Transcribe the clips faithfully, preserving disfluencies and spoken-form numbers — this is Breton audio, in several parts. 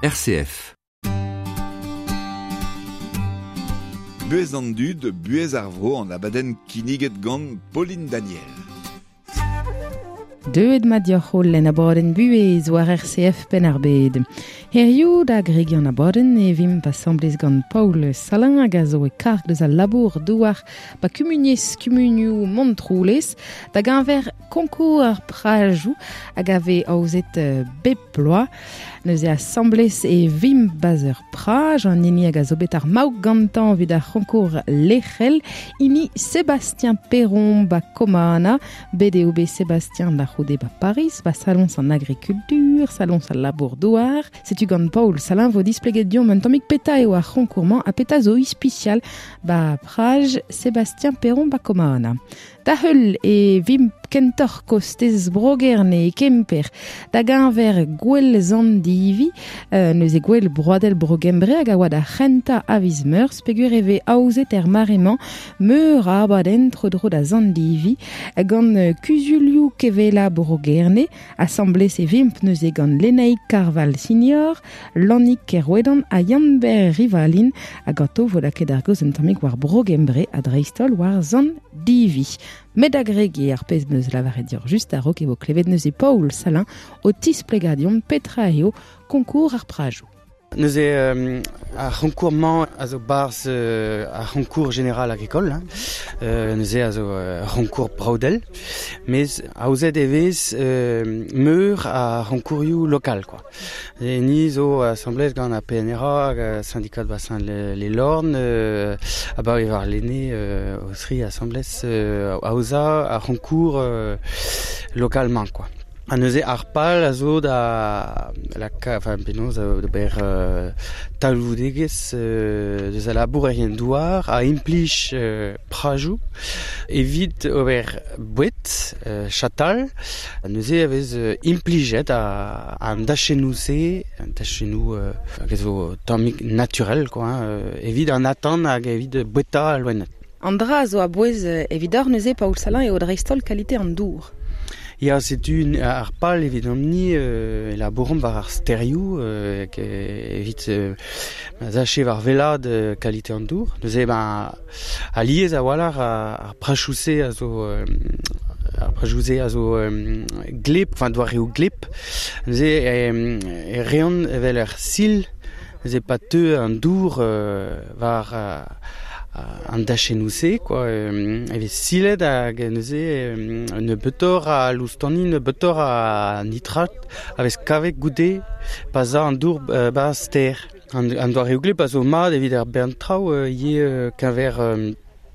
R C F. Buhez an dud, buhez ar vro an abadenn kinniget gant Pauline Daniel. Deuet mat deoc'h holl en abadenn Buhez war R C F Penn-ar-Bed. Hiziv da gregiñ an abadenn e vimp asambles gant Paul Salin hag a zo e karg deus al labour douar ba kumuniezh kumunioù Montroulez da geñver konkour ar prajoù hag a vez aozet euh, bep bloaz. Neuze asambles e vimp ba'z ur praj an hini hag a zo bet ar maout gantañ evit ar c'honkour lec'hel hini Sébastien Perron ba Komana. Bet eo bet Sébastien da c'houde ba Paris, ba saloñs an agrikultur, saloñs al labour douar. Setu gant Paul Salin vo displeget deomp un tammig petra eo ar c'honkour-mañ ha petra zo ispisial ba praj Sébastien Perron ba Komana. Da heul e vimp kentoc'h kostez Bro-Gerne e Kemper da geñver gouel Sant Divi, euh, neuze gouel broadel Bro-Gembre hag a oa d'ar c'hentañ a viz Meurzh peogwir e vez aozet er mare-mañ meur a abadenn tro-dro da Sant Divi gant euh, kuzulioù kevela Bro-Gerne. Asambles e vimp neuze gant Lenaig Karval Senior, Lannig Kerouedan ha Yann-Ber Rivalin ha ganto vo lakaet ar gaoz un tammig war Bro-Gembre ha dreist-holl war Sant Divi. Met da gregiñ ar pezh 'm eus lavaret deoc'h just a-raok e vo klevet neuze Paul Salin o tisplegañ deomp petra eo konkour ar prajoù. Neuze euh, ar c'honkour-mañ a zo 'barzh euh, ar c'honkour général agricole, hein. Euh, neuze a zo euh, c'honkour broadel, mes aozet e vez euh, meur a c'honkourioù lokal, quoi. E ni zo asambles gant ar P N R A, hag ar syndicat bassin les, les Lornes, euh, abaoe warlene euh, o zri asambles euh, aozañ ar c'honkour euh, local-mañ, quoi. Ha neuze ar pal a zo da la enfin penaos d'ober euh, talvoudegezh euh, deus al labourerien douar a implij euh, prajoù evit ober boued euh, chatal. Neuze a vez euh, implijet a an dachennoù-se, an dachennoù euh, hag a zo tammig naturel, quoi, hein, euh, evit an atant hag evit boueta al loened. An dra a zo a-bouez evidoc'h neuze Paul Salin eo dreist-holl kalite an dour. Ya, setu ar pal evidomp-ni euh, labouromp war ar stêrioù euh, evit euh, ma'z afe war wellaat euh, kalite an dour. Neuze ben alies a-walc'h ar prajoù-se a zo euh, ar prajoù-se a zo euh, gleb, enfin doareoù gleb. Neuze e, e reont evel ur sil, neuze pa teu an dour euh, war euh, an dachennoù-se, quoi, euh, e vez silet hag neuze euh, nebeutoc'h a loustoni, nebeutoc'h a nitrat a vez kavet goude pa za an dour euh, 'ba stêr. An, an doareoù gleb a zo mat evit ar bern traoù euh, ivez euh, keñver euh,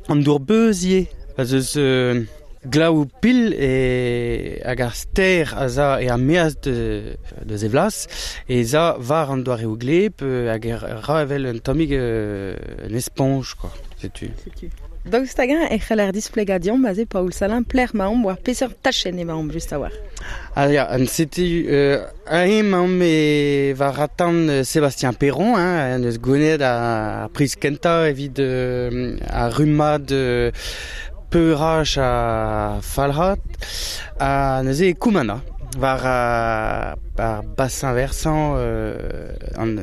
an dour beuz ivez. Pa 'z eus euh, glav pil e hag ar stêr a za e ar meaz de, de zevlas e za war an doareoù gleb euh, hag er ra evel un tammig euh, un esponj, quoi. Setu. Daoust hag-eñ e c'heller displegañ deomp aze Paul Salin pelec'h 'maomp war peseurt tachenn emaomp just a-walc'h. Ah ya, an setu euh, aze emaomp e war atant Sébastien Perron, hein, en eus gounezet ar priz kentañ evit euh, ar rummad euh, peuraj ha falc'hat ha neuze e Koumana war ar, ar bassin versant euh, an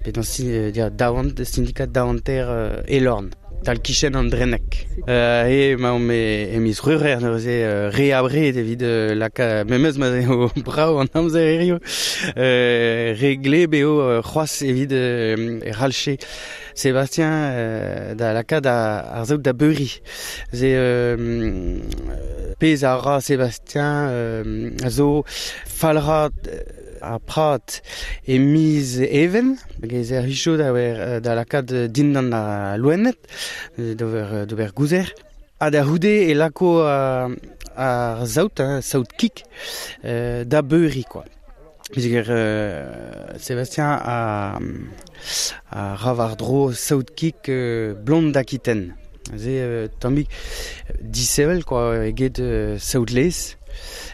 penaos dir daouant syndicat daouanter euh, Elorn tal kichen an Drenek. Euh, e emaomp e, e miz C'hwevrer neuze euh, re abred evit euh, laka memes ma eo brav an amzer hiziv euh, re gleb eo euh, c'hoazh evit euh, e c'hallfe Sébastien euh, da lakaat ar saout da beuriñ. Ze euh, pezh a ra Sébastien euh, a zo falc'hat ar prad e miz Even, hag e servijo da wer da lakaat dindan al loened, d'ober d'ober gouzer. Ha da c'houde e lako ar, ar saout, hein, saout kig, euh, da beuriñ, quoi. Peogwir euh, Sébastien a, a ra war-dro saout kig euh, blonde d'Aquitaine. Ze euh, tammig disheñvel, quoi, eget euh, saout laezh,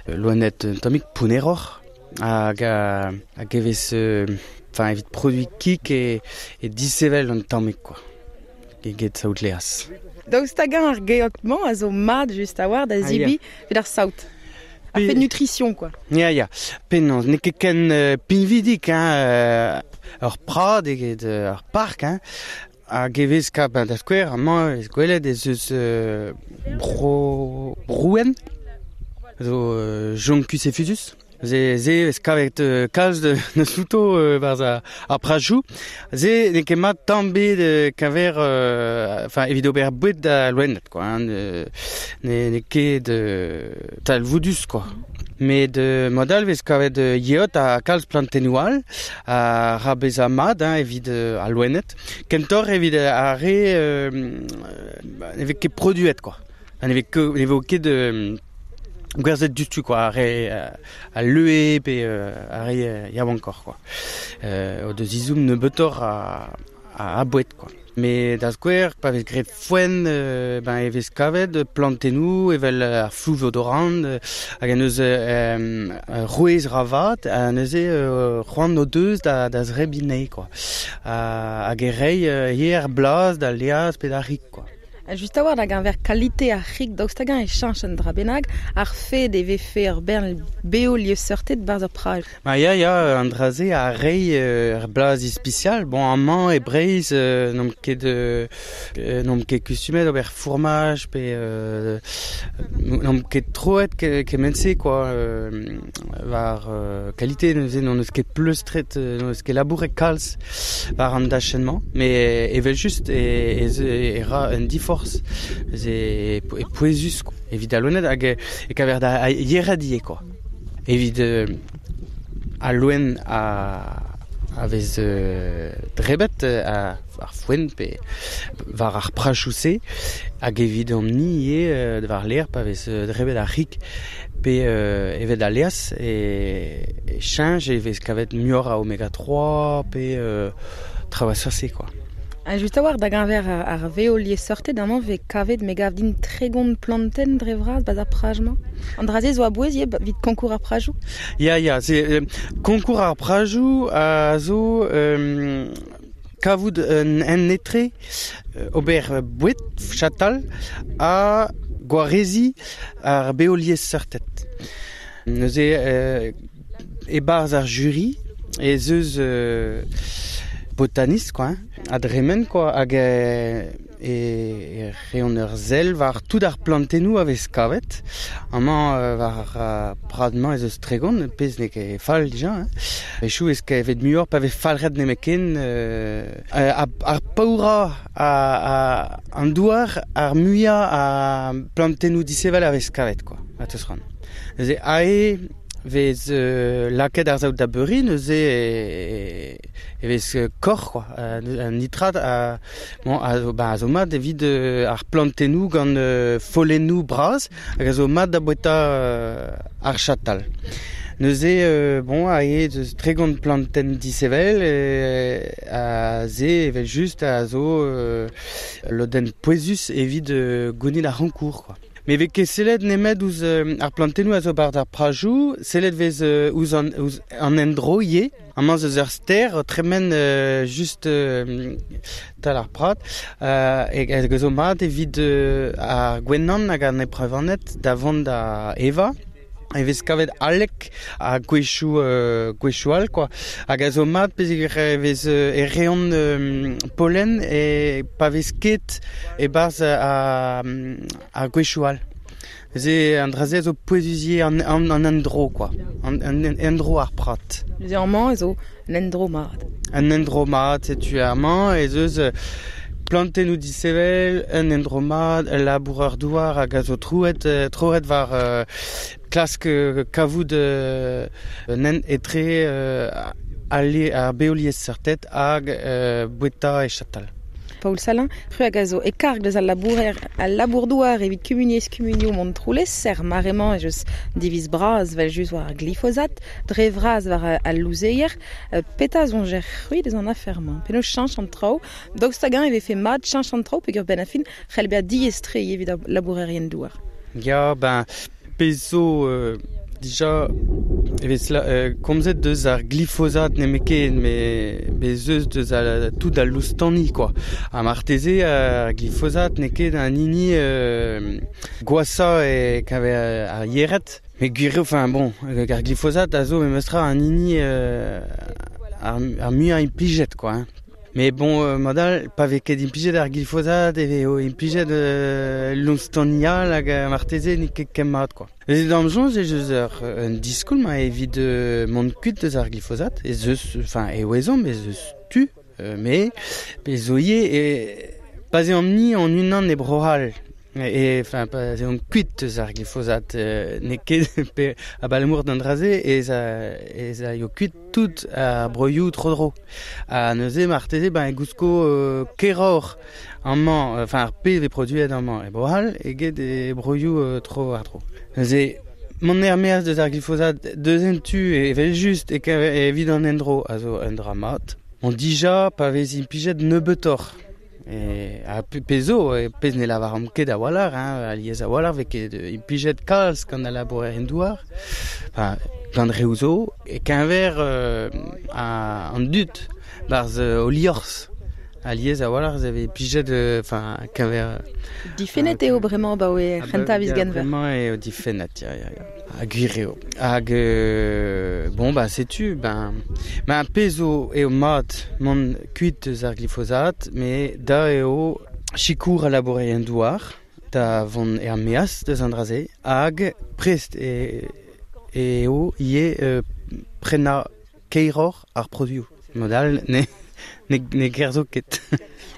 loened un tammig pounneroc'h hag a, hag e vez euh, enfin evit produiñ kig e, e disheñvel un tammig, quoi, eget saout laezh. Daoust hag-eñ ar geot-mañ a zo mat just a-walc'h da Ah, ya. zebriñ evit ar saout. A Pe- fait nutrition, quoi. Ya, ya. Penaos, n'eo ket ken euh, pinvidik, hein, euh, ur prad eget ur park, hein. Hag e vez kap da skouer, amañ ez gwelet ez eus euh, bro, brouen, zo euh, Juncus effusus. Ze, ze ez kavet euh, kalz de neus outo euh, barz ar, ar prajou. Ze n'eo ket mat tamm bet euh, kaver, euh, enfin, evit ober boued da loened, quoi, hein, ne, ne, n'eo ket euh, talvoudus, quoi. Met euh, modal vez kavet euh, yeot a kalz plantennoù all, a ra bezañ mat, hein, evit euh, al loened. Kentoc'h evit ar re euh, ne vez ket produet, quoi. Ne vez ket, ne vo ket euh, gwerzhet dustu, quoi, ar re euh, a leue pe euh, ar re euh, yaouankoc'h, quoi. Euh, o deus izoum nebeutoc'h a, a, a boued, quoi. Mais da skouer, pa vez graet foenn, euh, ben e vez kavet plantennoù evel ar flouv odorant, euh, hag an eus euh, rouez ravat, ha neuze euh, c'hoant o deus da, da zrebinei, quoi. Ha, hag e rei euh, hier blaz da leaz pe da rik, quoi. Just a war da gañver kalite ar c'hig daoust hag-eñ e cheñch an dra bennak, ar fed e vefe ur bern beo liesseurted barzh ar praj. Ma ya, ya, an dra-se a rei euh, ur blaz ispisial. Bon, amañ e Breizh euh, n'omp ket euh, n'omp ket kustumet ober fourmaj pe euh, n'omp ket troet ke, kement-se, quoi. Euh, war euh, kalite neuze n'on eus ket pleustret, n'on eus ket labouret kalz war an dachenn-mañ. Mais evel just e, e, e ra un diforc'h e, e pouezus, quoi. Evit al loened hag e kaver da yered ivez, quoi. Evit euh, al loen a, a vez euh, drebet a, ar foenn pe war ar prachoù-se hag evit an ni ivez war l'air pa vez drebet ar c'hig pe euh, evet al leaz e, e cheñch e vez kavet muioc'h a oméga trois pe euh, traoù a seurt-se, quoi. Ha just a war da gañver ar, ar veo liesseurted amañ vez kavet me gav din tregont plantenn dre vras barzh ar praj-mañ. An dra-se zo a-bouez ivez evit konkour ar prajoù? Ya, ya, c'est euh, konkour ar prajoù a zo euh, kavout un en etre euh, ober boued chatal ha gwarezi ar beo liesseurted. Neuze euh, e-barzh ar jury ez eus euh, botanist, quoi, hein, a dremen, quoi, hag e, e reont ur sell war tout ar plantennoù a vez kavet. Amañ euh, war ar prad-mañ ez eus tregont, pezh n'eo ket fall dija, hein. Echoù ez kavet muioc'h pa vez falc'het nemetken euh, ar, ar paourañ a, a, an douar ar muiañ a plantennoù disheñvel a vez kavet, quoi, a teus ran. Neuze ae vez euh, lakaet ar saout da beuriñ, neuze e, e vez kor, quoi, un nitrat a, bon, a zo, ba, a zo mat evit euh, ar plantennoù gant euh, follennoù bras, hag a zo mat da boueta euh, ar chatal. Neuze, euh, bon, a eo deus tregont plantenn disheñvel, e, a ze evel just a zo euh, lodenn pouezus evit euh, gounit ar c'honkour, quoi. Mais vez ket sellet nemet ouzh euh, ar plantennoù a zo barzh ar prajoù, sellet vez euh, ouzh an, ouzh an endro ivez. Amañ eus ur stêr tremen euh, just euh, tal ar prat, euh, hag hag zo mat evit euh, ar gwenan hag an eprevaned da vont da evañ. E vez kavet alek ha gwechoù euh, gwechoù all, quoi. Hag a zo mat pezh e vez euh, e reont euh, pollen e pa vez ket e-barzh a, a gwechoù all. Ze an dra-se a zo pouezus ivez an, an, an endro, quoi. An, an, an endro ar prat. Neuze amañ ez zo un endro mat. Un endro mat, setu amañ ez eus plantennoù disheñvel, un endro mat, ul labourer douar hag a zo trouet, troet war euh, klask euh, kavout euh, un hent etre euh, ale ar beoliesseurted hag euh, boueta e chatal. Paul Salin, c'hwi hag a zo e karg deus al labourer al labour-douar evit kumuniezh kumunioù Montroulez, er mare-mañ ez eus diviz bras vel just war ar glifosat, dre vras war al louzeier, petra soñjer c'hwi deus an afer-mañ. Penaos cheñch an traoù, daoust hag-eñ e vefe mat cheñch an traoù peogwir benn ar fin c'hell bezañ diaes-tre evit ar labourerien douar. Ya, ben, pezh zo euh, dija e vez la, euh, komzet deus ar glifosat nemetken, met bez eus deus al, tout al loustani, quoi. Ha marteze ar glifosat n'eo ket an hini euh, gwashañ e kaver ar yered. Met gwir eo, enfin bon, ar glifosat a zo memestra an hini euh, ar, ar muiañ implijet quoi hein. Mais bon, euh, modal, pa vez ket implijet ar glifosat e vez implijet euh, lonstonial hag marteze n'eo ket ken mat quoi. Ez d'am soñj ez eus ur un diskoulm a evit euh, mont kuit deus ar glifosat, ez eus, enfin, e ouezomp ez eus tu, euh, mais pe zo ivez e pa 'z eomp-ni an unan e Bro-C'hall. E, enfin, pa 'z eomp kuit eus ar glifosat, euh, n'eo ket pe abalamour d'an dra-se ez a, ez a yo kuit tout ar broioù tro-dro. Ha neuze marteze ben e gousko euh, keroc'h amañ, enfin ar pezh vez produet amañ e Bro-C'hall eget e broioù euh, tro war-dro. Neuze mont er-maez deus ar glifosat deus en tu evel-just e evit an endro a zo un dra mat. Bon, dija pa vez implijet nebeutoc'h. E, a pezh zo, e pezh ne lavaramp ket a-walc'h, hein, alies a-walc'h vez ket implijet kalz gant al labourerien douar, enfin, gant reoù zo, e keñver euh, a, an dud, barzh euh, o liorzh. Alies a-walc'h ez vez implijet, enfin, euh, keñver... Difennet eo bremañ ba oe c'hentañ viz genver. Bremañ eo difennet, ya, ya, ya. Ha gwir eo. Hag, euh, bon, bah, setu, ben, ben, pezh zo eo mat mont kuit eus ar glifosat, mais da eo sikour al labourerien douar, da vont er-maez deus an dra-se, hag prest e, eo ivez euh, prenañ keiroc'h ar produioù. Modal, ne, ne, ne gerzo ket.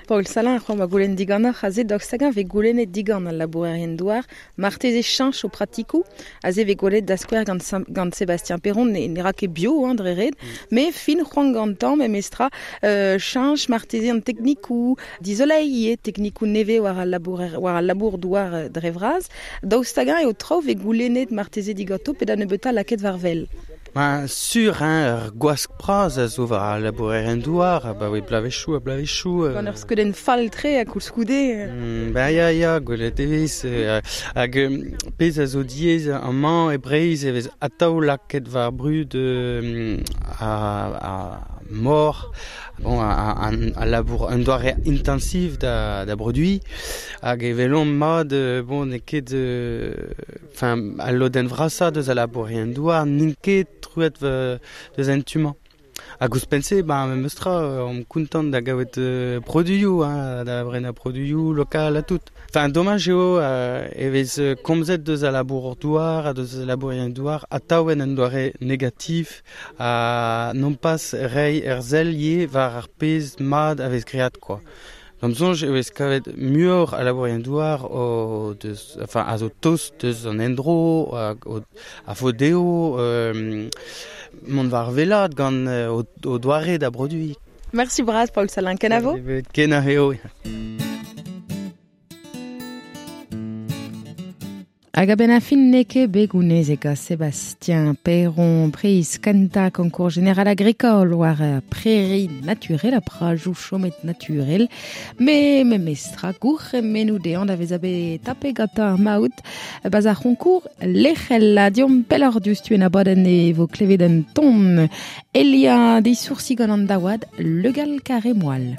Paul Salin, c'hoant ma goulenn diganeoc'h aze daoust hag-eñ vez goulennet digant al labourerien douar, marteze cheñch o pratikoù, aze vez gwelet da skouer gant, gant Sébastien Perron, ne, ne ra ket bio hein, dre ret, mm. mais fin c'hoant gantañ memestra euh, cheñch marteze an teknikoù dizoleiñ ivez teknikoù nevez war al labourer, war al labour douar dre vras, daoust hag-eñ eo traoù vez goulennet marteze diganto pe da nebeutañ lakaet war wel. Ben, sur, hein, ur gwask bras a zo war al labourerien douar, ba oe blavezhioù ha blavezhioù. Euh... Gant ur skeudenn fall-tre ha koulskoude. Mm, ben ya, ya, gwelet e vez. Euh, hag pezh a zo diaes amañ e Breizh e vez atav lakaet war brud euh, a, a mor, bon, a, a, a labour un doare intensiv da, da produiñ, hag e welomp mat, bon, n'eo ket, enfin, al lodenn vrasañ deus al labourerien douar n'int ket truet deus an tu-mañ. Hag ouzhpenn-se, ben, memes tra, omp kontant da gaout euh, produioù, hein, da brenañ produioù lokal ha tout. Enfin, domaj eo euh, e vez komzet deus al labour douar ha deus al labourerien douar atav en un doare negatif ha non pas reiñ ur sell ivez war ar pezh mat a vez graet quoi. D'am soñj e vez kavet muioc'h a labourerien douar o deus, enfin, a zo tost deus an endro, a, o, a fo dezho euh, mont war wellaat gant o, o doare da produiñ. Merci bras Paul Salin, kenavo? Kenavo. Hag a-benn ar fin n'eo ket bet gounezet gant Sébastien Perron priz kentañ concours général agricole war prairie naturelle a prajoù chomet naturel, me memestra gourc'hemennoù dezhañ da vezañ bet tapet gantañ ar maout ba'z ar c'honkour lec'hel a diomp pelloc'h diouzhtu en abadenn e vo klevet un ton Elia disoursi gant an daouad Legal Carré Moal.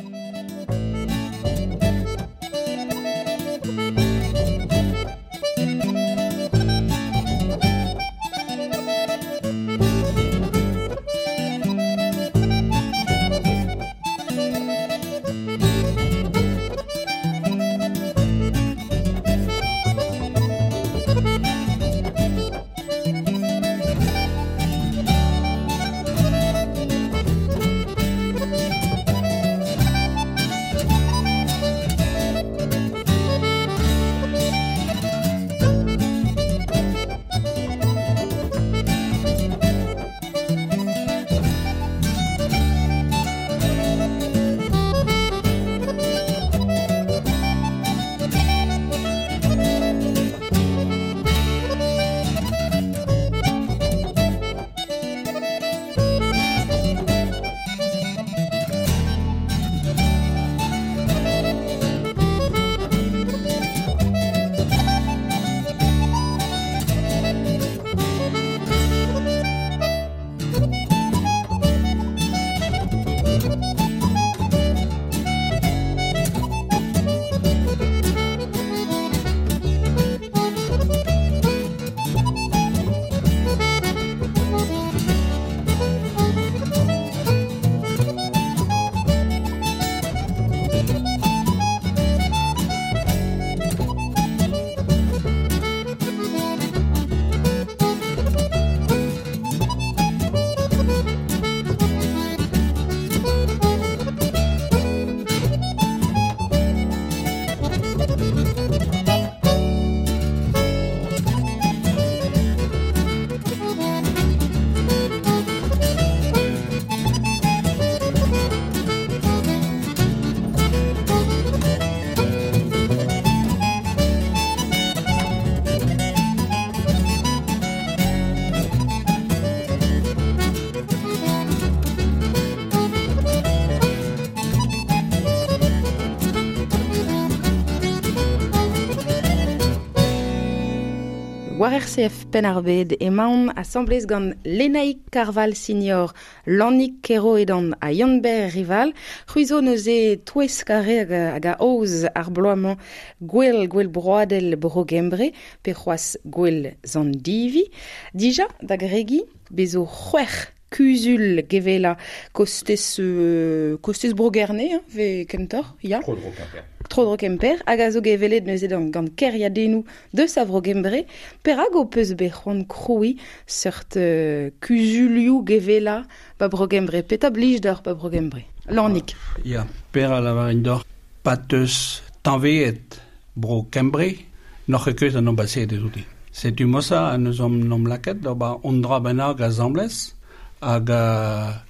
War R C F Penn-ar-Bed emaon asamblez gant Lenaig Karval Senior, Lannig Keroedan ha Yann-Ber Rival. C'hwi zo neuze touez kare hag, hag a aoz ar bloaz-mañ gwell gwell broadel bro Gembre, pe c'hoazh gwell Zandivi. Dija, da gregi, bezo c'hwec'h kuzul gevela kostez, euh, kostez bro Gerne, hein, ve kentoc'h, ya. Tro-dro Kemper. Tro-dro Kemper, hag a zo gevelet neuze gant, gant keriadennoù deus a vro Gembre. Perak ho peus bet c'hoant krouiñ seurt euh, kuzulioù gevela ba bro Gembre? Petra blij deoc'h ba bro Gembre? Lannig. Ya, per a lavarin deoc'h, pateus tañveet bro Kembre, n'oc'h ket keus an ambassade outi. Setu mosa a neus om nom laket d'ober on dra bennak asamblez hag a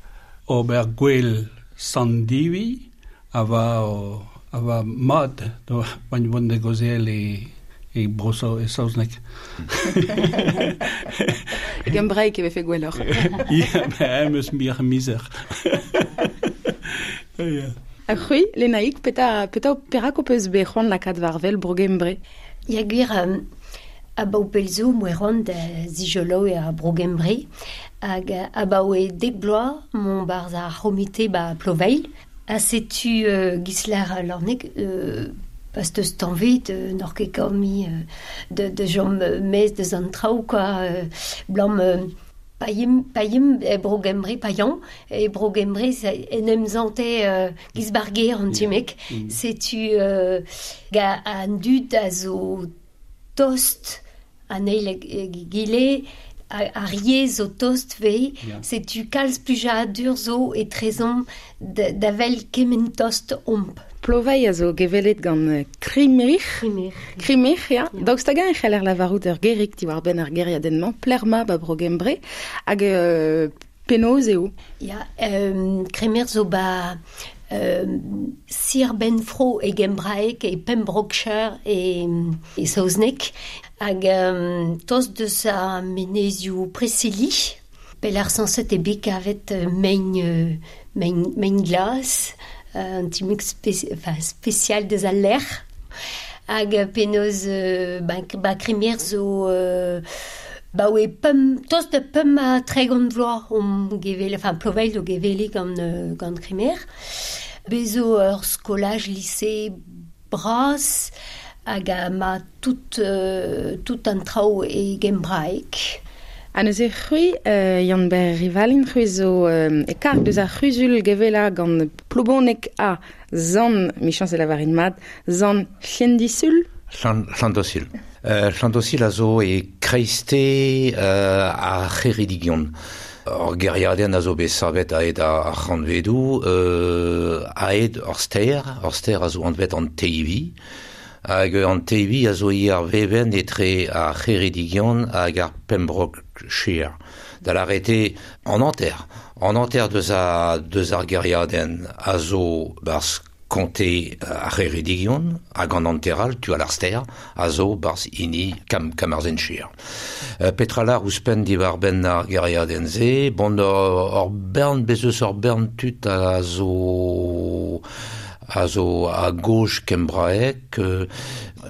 ober gwell Sandivi a va o, a va mat do bain vont de gozel e e broso e saozneg. E gembraeg e vefe gwelloc'h. Ya, ben em eus mir mizer. Ya. Ha c'hwi, Lenaig, peta, peta perak ho peus bet c'hoant lakaat war wel bro Gembre? Ya gwir, um, a bao pelzo moeron da zijolo e a bro Gembre hag a bao e dek bloaz mon barz ar c'homite ba Ploveil. Ha setu euh, Gislar Lorneg euh, pas deus tanvet euh, n'or ket kaomi euh, de, de jom mez deus an traoù quoi euh, blam euh, païm païm e bro Gembre païan e bro Gembre en em zante euh, Gisbarger an timek mm. Setu euh, ga an dud a zo tost an eil gile a riez zo tost vei, yeah. Setu kalz plujadur zo e trezon da vel kement tost omp. Ploveil a zo gevelet gant Krimerich. Krimerich. Krimerich, ya. Yeah. Daoust hag-eñ e c'heller lavarout ur gerig diwar benn ar geriadenn-mañ, Plerma ba bro Gembre, hag euh, penaos eo? Ya, euh, Krimer zo ba euh, Sir Benfro e Gembraek e Pembrokeshire e, e Saozneg hag euh, tost deus a menezioù Preseli pel ar sanset e bet kavet mein, mein, mein glas un timik spéci- enfin, spécial deus al lec'h hag penaos euh, ba, ba Krimer zo euh, ba oe pem, tost de pem a tregont vloaz om gevele, enfin Ploveil o gevele gant, euh, gant Krimer. Bezo ur skolaj lycée bras hag a ma tout, euh, tout an traoù e gembraek. Ha neuze c'hwi, euh, Yann-Ber Rivalin, c'hwi zo euh, e karg deus ar c'huzul gevela gant Ploubonek a Zan, michañs e lavarin mat, Zan Llandysul? Llandysul. Euh, Llandysul a zo e kreiste euh, ar c'heridigion. Ur geriadenn a zo bet savet aet ar c'hantvedoù, euh, aet ur stêr, ur stêr a zo anvet an Teivi, hag an Teivi a zo i ar veven etre ar c'heridigion hag ar Pembrokeshire. Da l'arrêté en anter, en anter deus a, deus ar geriadenn a zo barz comté ar c'heridigion hag an anteral tu al ar stêr a zo barz hini kam, Carmarthenshire. Euh, Petra lar ouzhpenn diwar benn ar geriadenn se, bon ur, ur bern bez eus ur bern tud a zo a zo a gauche kembraek, euh,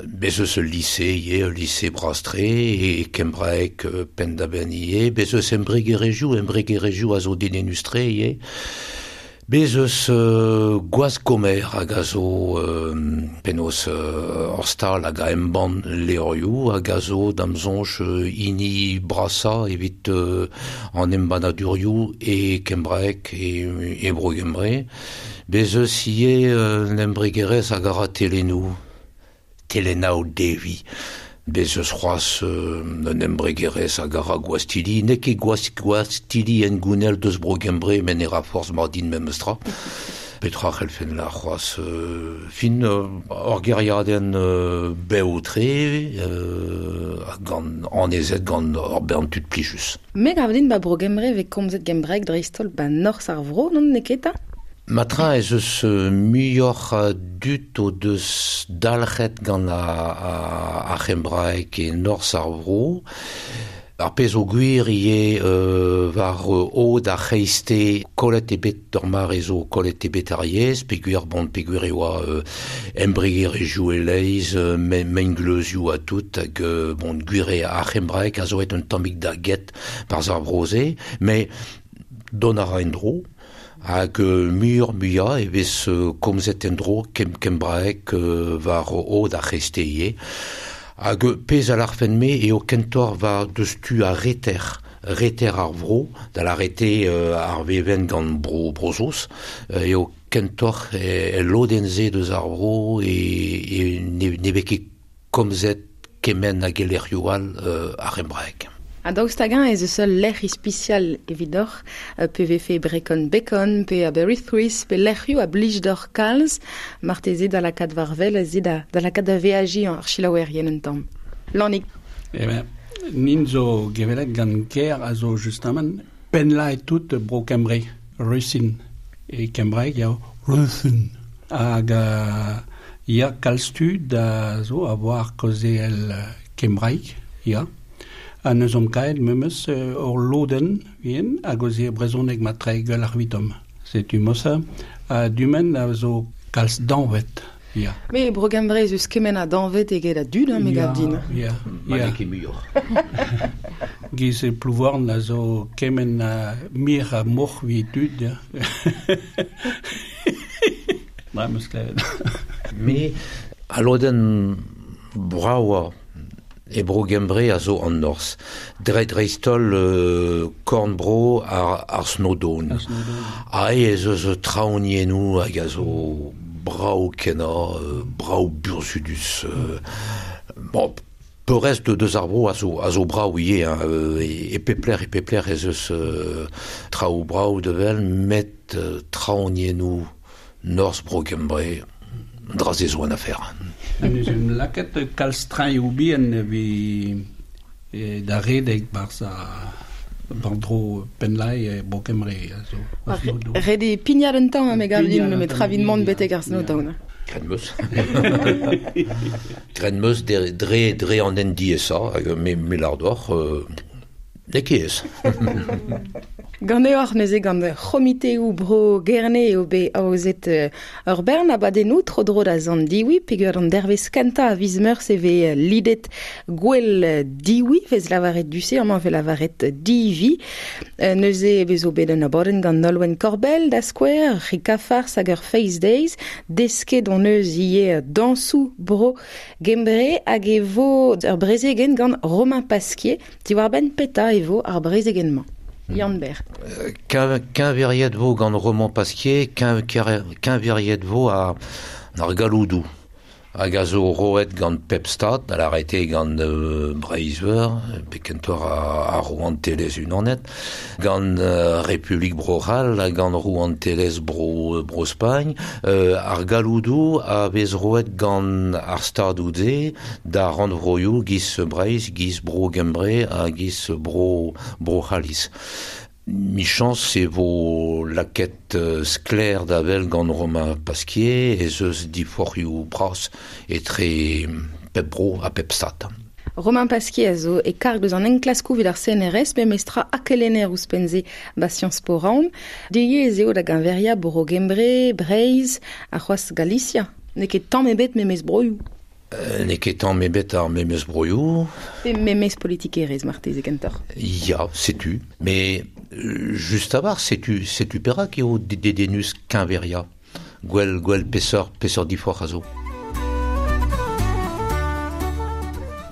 bez eus ul lycée ivez, ul lycée brastre e kembraek euh, penn-da-benn ivez, bez eus embregerezhioù, embregerezhioù a zo dedennus-tre ivez. Bez eus euh, gwaz gomer hag a zo euh, penaos euh, ur stal hag a embann levrioù hag a zo da'm soñj euh, hini brasañ evit euh, an embannadurioù e kembraek e, e bro Gembre. Bez eus ivez euh, un embregerezh hag a ra telennoù, Telennoù Devi. Bez eus c'hoazh euh, un embregerezh hag a ra gwastili, n'eo ket gwastili en gounel deus bro Gembre, met ne ra forzh mar din memes tra. Petra c'hellfen la c'hoazh euh, fin euh, ur geriadenn euh, bev-tre euh, gant annezet gant ur bern tud plijus. Me gav din ba bro Gembre vez komzet gembraeg dreist-holl ba norzh ar vro, non n'eo ket ta? Matra ez eus muioc'h a dud o deus dalc'het gant a, a, ar c'hembraeg e norzh ar vro. Ar pezh o gwir ie euh, war o da c'heiste kolet ebet d'ur mare zo kolet ebet ar yez, pe gwir bon, pe gwir e oa euh, embreger e jou e leiz, euh, mengleuzioù a tout, hag euh, bon, gwir e ar c'hembraek a zo et un tammig da get par ar broze, mais don a ra en dro, hag euh, mur muia e vez euh, komzet en dro kem, kembraek euh, war o da c'heiste ie. Hag pez a l'arfen-me eo kentor va deus tu a reter, reter ar vro, da l'arrete euh, ar veven gant bro brozoz, euh, eo kentor e, e lodenze deus ar vro e, e ne, ne vez ket komzet kemen hag elec'hioù all euh, ar embraek. A daoust hag-eñ ez eus ul lec'h ispisial evidoc'h, pe vefe Brecon Bacon, pe Aberystwyth, pe lec'hioù a blij d'or kalz, marteze da lakaat war wel, ez da, da lakaat da veajiñ ar selaouerien un tamm. Lannig. Eh ben, nin zo gevelet gant ker a zo justement penla et tout bro Kembre, Rusin. E Kembraeg eo Rusin. Hag uh, ya kalz tud da zo a voar kaozeal Kembraeg, ya. Ha neus omp kaet memes euh, ur lodenn vien hag o ze brezhoneg ma tre gwell ar vitom. Setu mosa a dumen a zo kalz danvet. Ya. Me bro Gembre ez eus kement a danvet eget a dud, hein, me gav din. Ya, Ma ya. n'eo ket muioc'h. Giz e Plouvorn a zo kement a mir a moc'h vi dud, ya. Dra meus klevet. Me a lodenn braoa e bro Gembre a zo an Norz. Dre dreistol euh, korn-bro ar, ar Snowdon. Ar Snowdon. Ae ez eus traoniennoù hag a zo brao kena, euh, brao burzhudus. Euh, bon, peurrest de deus ar bro a zo, a zo brao ivez, hein, euh, e, e pepler, e pepler ez eus euh, traoù brao devel, met euh, traoniennoù Norz bro Gembre, dra ze zo an afer. Ha neus em lakaet kalz traioù bihan vi e, da redek barz a bandro penlai e bro Kembre a zo. Ar Snowdon. Ret eo pignat un tamm, me gav din, Pignat un me tamm, travin mont ya, betek ar ya. Snowdon. Gren meus. Gren meus dre, dre, dre an en diesa, hag me, me lar d'oc'h, euh, n'eo ket ez. Ganeoc'h neuze gant c'homiteoù bro Gerne eo bet aozet ur bern abadennoù tro-dro da zant diwi, peogwir an dervezh kentañ a viz Meurzh e vez lidet gwell diwi, vez lavaret du-se, amañ vez lavaret divi. Neuze e vezo bet un abadenn gant Nolwenn Korbell da skouer, Rika Fars hag ur Face Days, desket hon eus ivez dañsoù bro Gembre hag e vo ur brezegenn gant Romain Pasquier, diwar-benn petra e vo ar brezegenn-mañ. Yann Ber. Keñveriet vo gant Romain Pasquier, keñveriet vo a ar galoudou. Hag a zo roet gant pep stad, da l'arrêté gant euh, Breizh-Veur, pe kentoc'h a, a Rouantelezh unanet, gant euh, Republik Bro-C'hall, gant Rouantelezh Bro, Bro-Spagn, euh, ar galoudou a vez roet gant ar stadoù-se da rannvroioù giz Breizh, giz Bro-Gembre ha giz Bro, Bro-C'halliz. Michans e vo laket euh, sklaer da wel gant Romain Pasquier ez eus diforc'hioù bras etre pep bro ha pep stad. Romain Pasquier a zo e karg deus an enklaskoù evit ar C N R S, me mestra akelener ouzhpenn-se ba Sciences Po Rouen. Deuet ez eo da geñveriañ Bro Gembre, Breizh, ha c'hoazh Galicia. N'eo ket tamm ebet memes broioù. Euh, n'eo ket tamm ebet ar memes broioù. Pe memes politikerezh marteze kentoc'h. Ya, setu. Mais just a-war, setu, setu perak eo dedennus keñveriañ. Gwell, gwell peseurt, peseurt diforc'h a zo.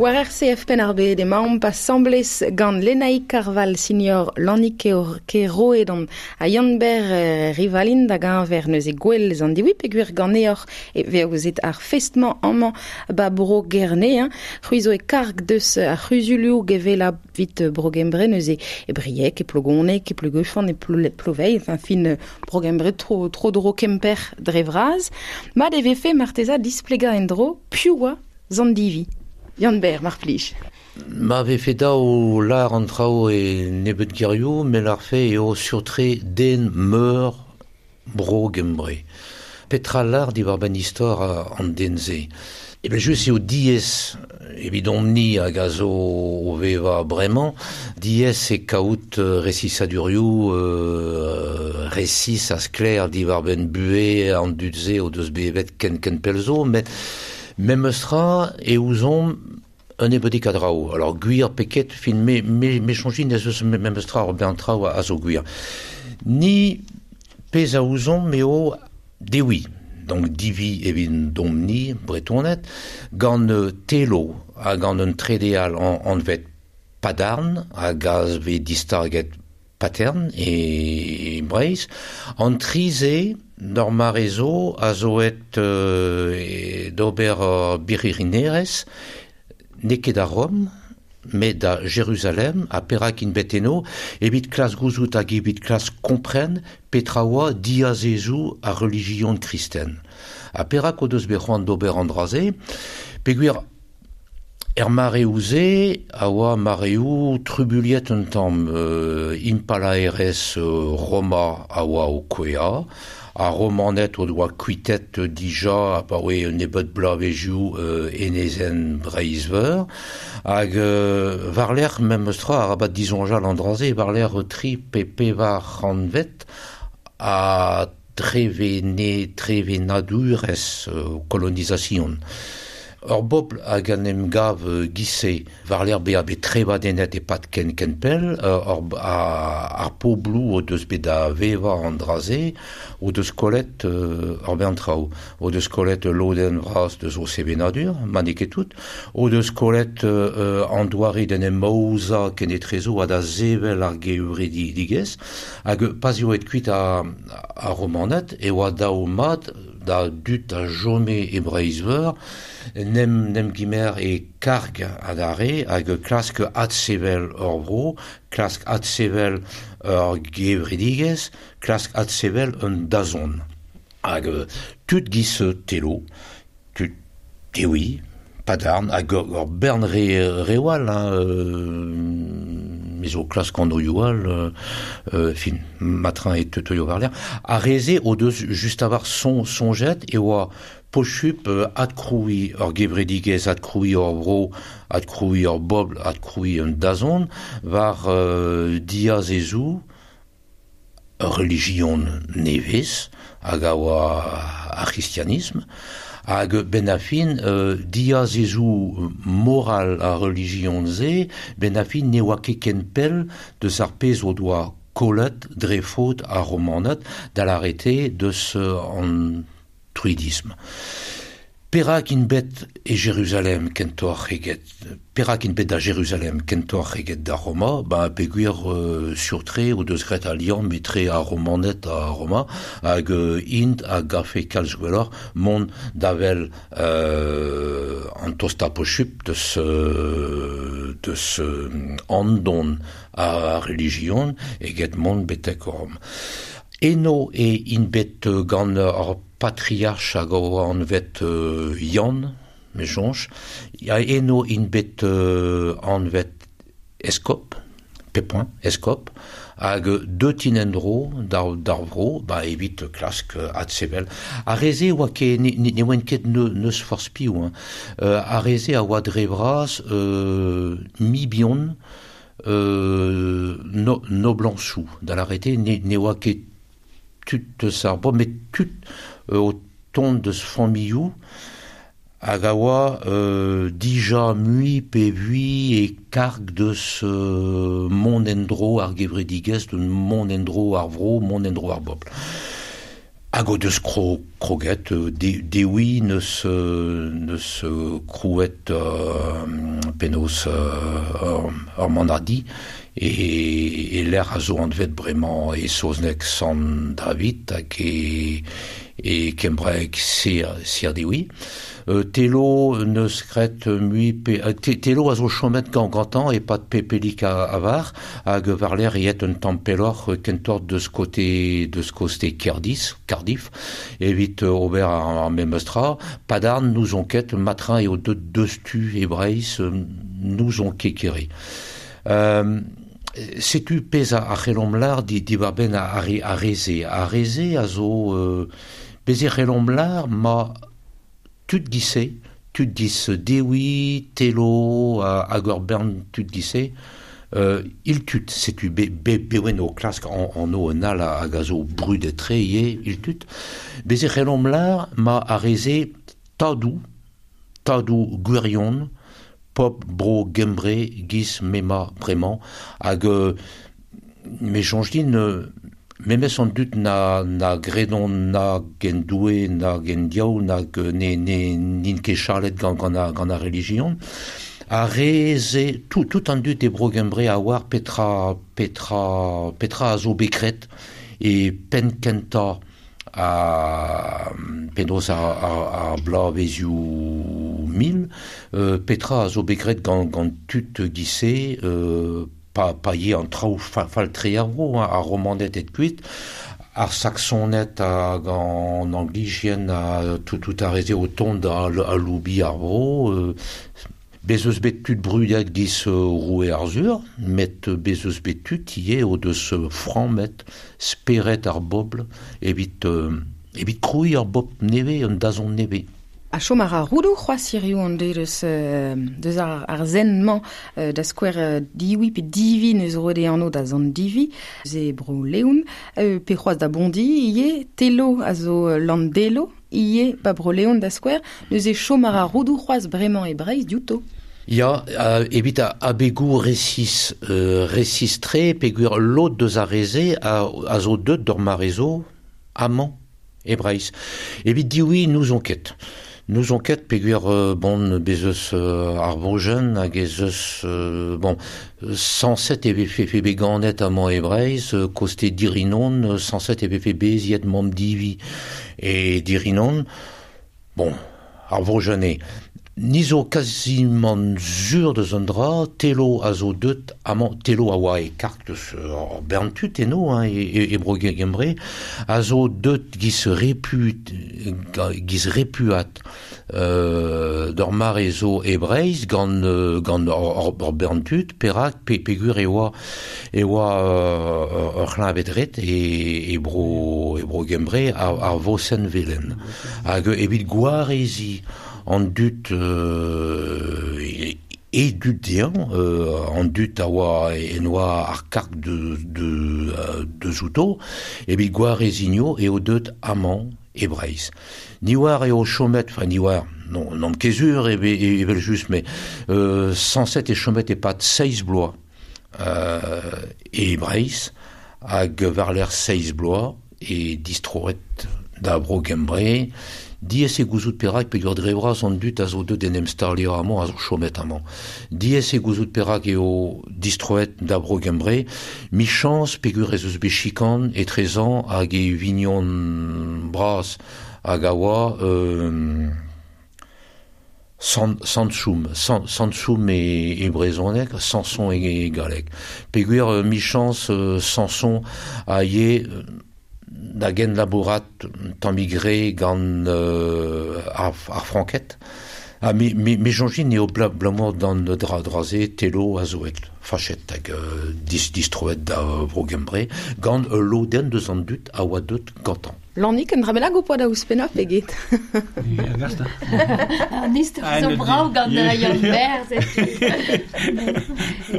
War R C F Penn-ar-Bed emaomp asambles gant Lenaig Karval senior Lannig Keroedon ha Yann-Ber Rivalin da geñver neuze gwell an diwi peogwir ganeoc'h e veozet ar fest-mañ amañ ba bro Gerne, hein. C'hwi zo e karg deus ar c'huzulioù gevela vit bro Gembre neuze e Brieg, e Plogoneg, e Pleugeuffan, e Ploveilh, enfin fin bro Gembre tro, tro dro Kemper dre vras. Mat e vefe marteza displegañ en-dro piv oa zant divi. Yann Ber, mar plij. Ma vefe daou lar an traoù e nebeut gerioù, me larfe eo surtre den meur bro Gembre. Petra lar diwar-benn istor an den-se. E ben just eo diez evidom-ni hag a zo o veva bremañ, diez e kaout resisadurioù euh, resis a skler diwar ben bue an dudze o deus bevet ken ken pelzo, met mem eustra e ouzon un ebeudik a draoù. Alors gwir peket fin me, me, me chonjin ez eus mem eustra ur ben traoù a zo gwir. Ni pez a ouzon meo dewi. Donc divi evit domni bretonet, gant telo ha gant un tredeal an, anvet padarn ha gaz ve distarget patern e, e breiz, an trize d'ur marezo a zo et euh, d'ober uh, biririnerez n'eo ket da Rom, met da Jérusalem, a perak in bet eno, evit klas gouzout hag evit klas kompren petra oa diazezou a religion kristen. A perak o deus bet c'hoant d'ober an draze, peogwir er mareoù-se a oa mareoù trubuliet un tamm euh, impalaerez euh, Roma a oa o kouea, a romanet o doa kuitet dija a pa oe un nebeud blavezioù euh, enezen Breizh-Veur, hag euh, war-lerc'h mem eus tra arabat disoñjal an dra-se, war-lerc'h tri pe pevar c'hantvet a trevene, trevenadurez euh, kolonizasion. Ur bobl hag an em gav gise war l'er bezañ bet trevadennet e-pad ken ken pell, ur, a, ar pobloù o deus bet da vevañ an dra-se, o deus kollet euh, ur bern traoù, o deus kollet lodenn vras deus o sevenadur, ma n'eo ket tout, o deus kollet euh, an doare d'en em aozañ kenetrezo ha da sevel ar gevredigezh, hag pas eo et kuit a, a romanet, e oa daou mat da dud a jome e Breizh-Veur, nem, nem gimer e karg adarre hag klask adsevel ur vro, klask adsevel ur gevredigezh, klask adsevel un dazon. Hag tud giz telo, tud dewi, padarn, hag ur bern re, rewal, hein, euh, me zo klask an oioù all, euh, euh, fin, matrin e teutoio war l'air, a reze o deus just avar son, sonjet e oa pochup euh, adkroui ur gevredigezh, adkroui ur vro, adkroui ur bobl, adkroui un dazon, war euh, diazezou ur religion nevez, hag a oa ar christianisme, hag ben a fin euh, diazezou moral a religion ze, ben a fin ne oa ket ken pell deus ar pezh o doa kollet dre faot ar romanet da l'arrêté deus an druidisme. Perak int bet e Jérusalem kentoc'h eget perak int bet da Jérusalem kentoc'h eget da Roma, ba peogwir euh, sur-tre o deus graet al liamm etre ar Romaned ha Roma, hag euh, int a gafe kalz gwelloc'h mont da wel euh, an tostañ pochup deus euh, deus euh, andon a religion eget mont betek Rom. Eno e int bet gant ar patriarch hag o anvet euh, Yann, me soñj, ya eno int bet euh, anvet eskop, pepin, eskop, hag deut int en-dro d'ar, d'ar vro, ba evit klask adsevel. Ar re-se oa ket, ne, ne, ne oant ket ne, neus forzh piv, hein. Euh, ar re-se a oa dre vras euh, mibion euh, no, noblañsoù, da l'arrêté ne, ne oa ket tud deus ar bobl, met tud euh, o tont deus familhoù hag a oa euh, dija mui pe vui e karg deus euh, mont en-dro ar gevredigezh, de mont en-dro ar vro, mont en-dro ar bobl. Hag o deus kro, kroget, euh, de, dewi neus, euh, neus euh, krouet euh, penaos euh, ur manadi, e, e lec'h a zo anvet bremañ e saozneg Sant David hag e, e kembraeg Sir, Sir Dewi. Euh, Telo neus graet mui pe, euh, te, Telo a zo chomet gant gantañ e-pad pe pelik a, a var, hag war-lerc'h eo un tamm pelloc'h kentoc'h deus kote deus koste Kerdis, Cardiff, evit euh, ober ar, ar memes tra. Padarn n'ouzon ket, matrin eo deut deus tu e Breizh, euh, n'ouzon ket kere. Euh, setu pezh a c'hellomp lar di, diwar-benn ar, ar re-se. Ar re-se a zo euh, bez e c'hellomp lar ma tud gise, tud gis Dewi, Telo, hag ur bern tud gise, euh, il tut, setu be, be, bewen o klask an, an o un al hag a zo brudet tre ie, il tut. Bez e c'hellomp lar ma a reze tadou, tadou gwirion, pop bro gembre giz mema bremañ, hag euh, me soñj din euh, memes an dud na, na gredon na gen doue, na gen diaou, na ne, ne, n'int ket charlet gant, gant, a, gant a religion, a reze, tout, tout an dud e bro gembre a oar petra, petra, petra a zo bekret e pen kenta a penaos ar, ar, ar blavezioù mil, euh, petra a zo bekret gant, gant tud gise, euh, pa, pa ye an traoù fa, faltre ar vro, hein, ar romanet et kuit, ar saxonet hag an anglijien a tout, tout a reze o tont a, a loubi ar vro, euh, bez eus bet tud brudet giz euh, roue Arzur, met bez eus bet tud ie o deus franc speret ar bobl evit, euh, evit kroui ar bobl neve, un dazon neve. A chom ar roudou c'hoaz hirio an deus, euh, deus ar, ar zen-mañ euh, da skouer euh, diwi pe divi neus roet e anv da zan divi, ze bro leoun, euh, pe c'hoaz da bondi ie, telo a zo landelo, ie pa bro leoun da skouer, neus e chom ar roudou c'hoaz bremañ e Breizh diouto. Ya, euh, evit a abegou resis, euh, resis tre, peogwir lod deus ar reze a, a zo deut d'ur marezo amañ e Breizh. Evit diwi nous on ket. Nous on ket peogwir euh, bon bez eus euh, ar vojenn hag ez eus euh, bon cent sept e vefe fe beganet amañ e Breizh, euh, koste Dirinon, cent sept e vefe beziet mamm divi e Dirinon. Bon, ar vojenn eo. Ni zo quasiment zur deus an dra, telo a zo deut amañ, telo a oa e karg deus ur bern tud eno, hein, e, e, e bro gembre, a zo deut giz repu, giz repuat euh, d'ur mare zo e Breizh gant, gant ur, ur bern tud, perak pe, peogwir e oa, e oa euh, ur c'hleñved red e, e bro, e bro gembre ar, ar vosenn velen. Hag evit gwarezi an dud euh, e, e dud dezhañ, euh, an dud a oa en oa ar karg de, de, euh, de zouto, evit gwarezinio eo deut amañ e Breizh. Ni oar eo chomet, enfin ni oar, non, non ket sur e, e, evel just, mais euh, cent sept e chomet e-pad seizh bloaz euh, e Breizh, hag war-lerc'h seizh bloaz e distroet da bro Gembre, diaes eo gouzout perak peogwir dre vras an dud a zo deut en em staliañ amañ a zo chomet amañ. Diaes eo gouzout perak eo distroet da bro Gembre, michañs peogwir ez eus bet chikan etrezañ hag e vignon bras hag a oa euh, Sant, Santchoum, Sant, Santchoum e, e brezhoneg, Samson e, e galleg. Peogwir euh, michañs euh, Samson a ye euh, da gen labourat tammig re gant euh, ar, ar Franked. Ha me, me, me soñj din eo bla, blamour d'an dra draze telo a zo et fachet hag euh, dis, distroet da vro Gembre gant ul lodenn deus an dud a oa deut gantañ. Lannig, un dra bennak ho poa da ouzhpennañ pe get? Ya, gast, An istor Ah, zo ne brav di- gant Yeah. Yann Ber, setu.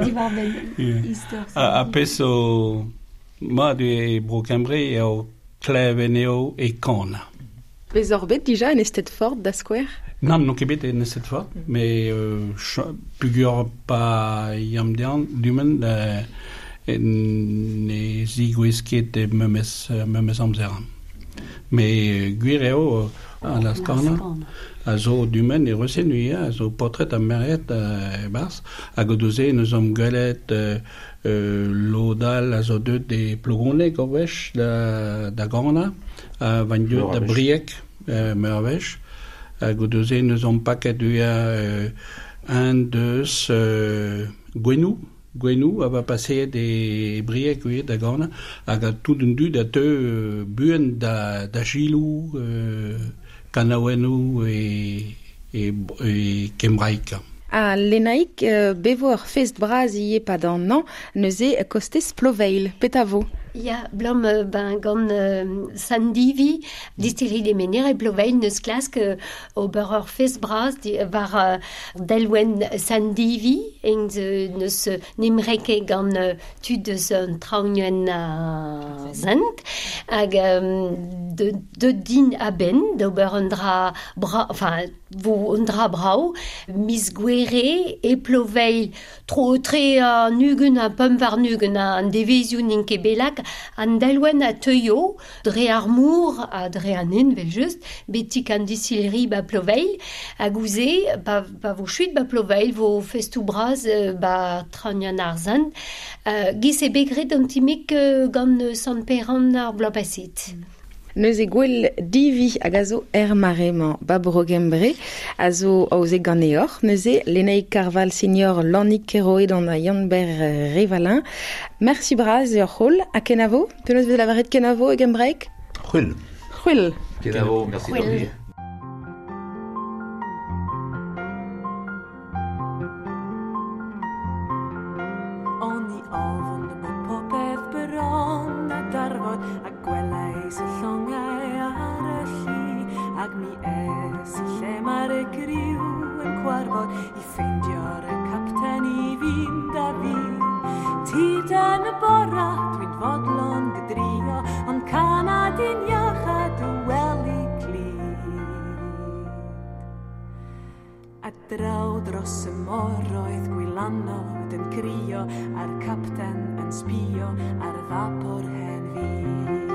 Diwar-benn Yeah. istor. A, a pezh zo mat e bro Kembre eo kleven eo e kana. Bez oc'h bet dija en Eisteddfod da skouer? Nann, n'on ket bet en Eisteddfod, mais euh, peogwir pa yam dean dumen euh, ne zigouez ket e memes, memes amzer. Mais gwir eo a la skarna a zo dumen e resen a zo potret a meret e bars hag o doze neus am gwelet euh, euh, lodal a zo deut de Plogoneg ur wech da, da gana a van deut da Brieg euh, meur a wech hag o doze neus am paket uia euh, un deus euh, Gwenou Gwenou a va paseet e Brieg uia da gana hag a tout un dud a teu euh, buan da, da gilou euh, kanaouennoù e, e, e kembraik. A Lenaik euh, bevo ur fest bras ie pad an an neuze kostez Ploveil, pet a vo? Ya, blam ben gant euh, Sandivi, distillerie des Menhir e Ploveil neus klask euh, ober ur fest bras di, war euh, delwen Sandivi eng neus nimreke gant euh, tud eus an traoñen a zent hag euh, de, de din a-ben d'ober un dra bra, enfin vo un dra brao mis gwere e Ploveil tro tre an ugen a pemp war nugen an devezioù n'int ket belak an delwen a teuio dre ar mour a dre an en vel just betik an distillerie ba Ploveil a gouze ba, ba vo chuit ba Ploveil vo festou braz ba traoñan ar zent euh, giz e begret an timik euh, gant Sant Peran ar bloaz paset. Mm. Neuze gwell divi hag a zo er mare-mañ ba Bro-Gembre a zo aoze ganeoc'h. Neuze Lenaig Karval senior Lannig Keroed an a Yann-Ber Revalin. Merci braz eo c'holl. Ha kenavo? Penaos vez lavaret kenavo e gembraeg? C'hwil. C'hwil. Kenavo, merci. C'hwil. Draw dros y moroedd gwylanod yn crio a'r capten yn sbio ar fapor hen fyd.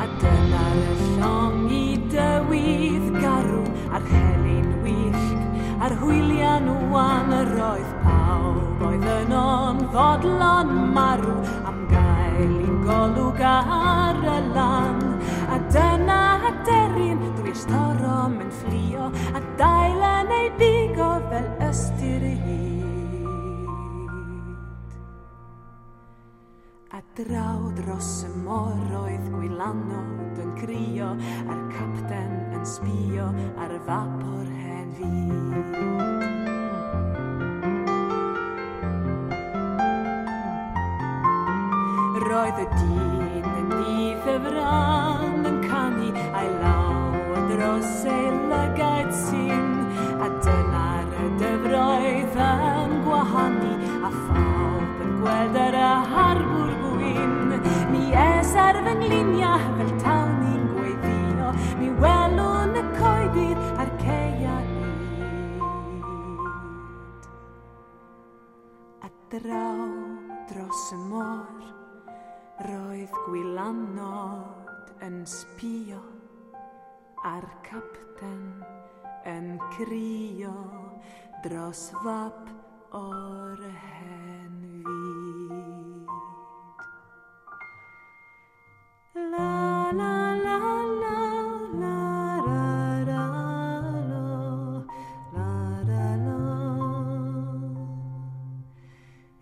A dyna'r llong i dywydd garw a'r helyn wyllt a'r hwylian wan yr oedd pawb oedd yno'n fodlon marw am gael un golwg ar y lan. A dyna aderyn drwy'r storom yn fflio a dail yn ei bigo fel ystyr ei hyd. A draw dros y moroedd gwylanod yn crio a'r capten yn sbio ar y fapor hen fyd. Roedd y dyn yn nyth y fran yn canu a'i law dros ei lygaid sy'n a dyna'r dyfroedd yn gwahanu a phawb yn gweld yr harbwr gwyn. Mi es ar fy ngliniau fel tawn i'n gweddïo, mi welwn y coedydd a'r ceia hyd. A draw dros y môr roedd gwylanod yn sbio a'r capten yn crio dros fap o'r hen fyd. La la la la la ra ra la la ra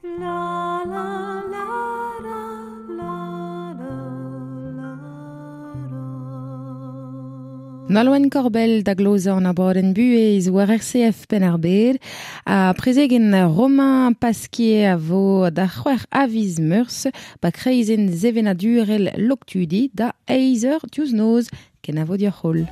la la la la ra la ra la ra. Nolwenn Korbell da glozañ an abadenn buhez war R C F Penn-ar-Bed a prezegen Romain Pasquier a vo da c'hwec'h a viz Meurzh ba kreizenn sevenadurel Loktudi da eizh eur diouzh noz kenavo dioc'h holl.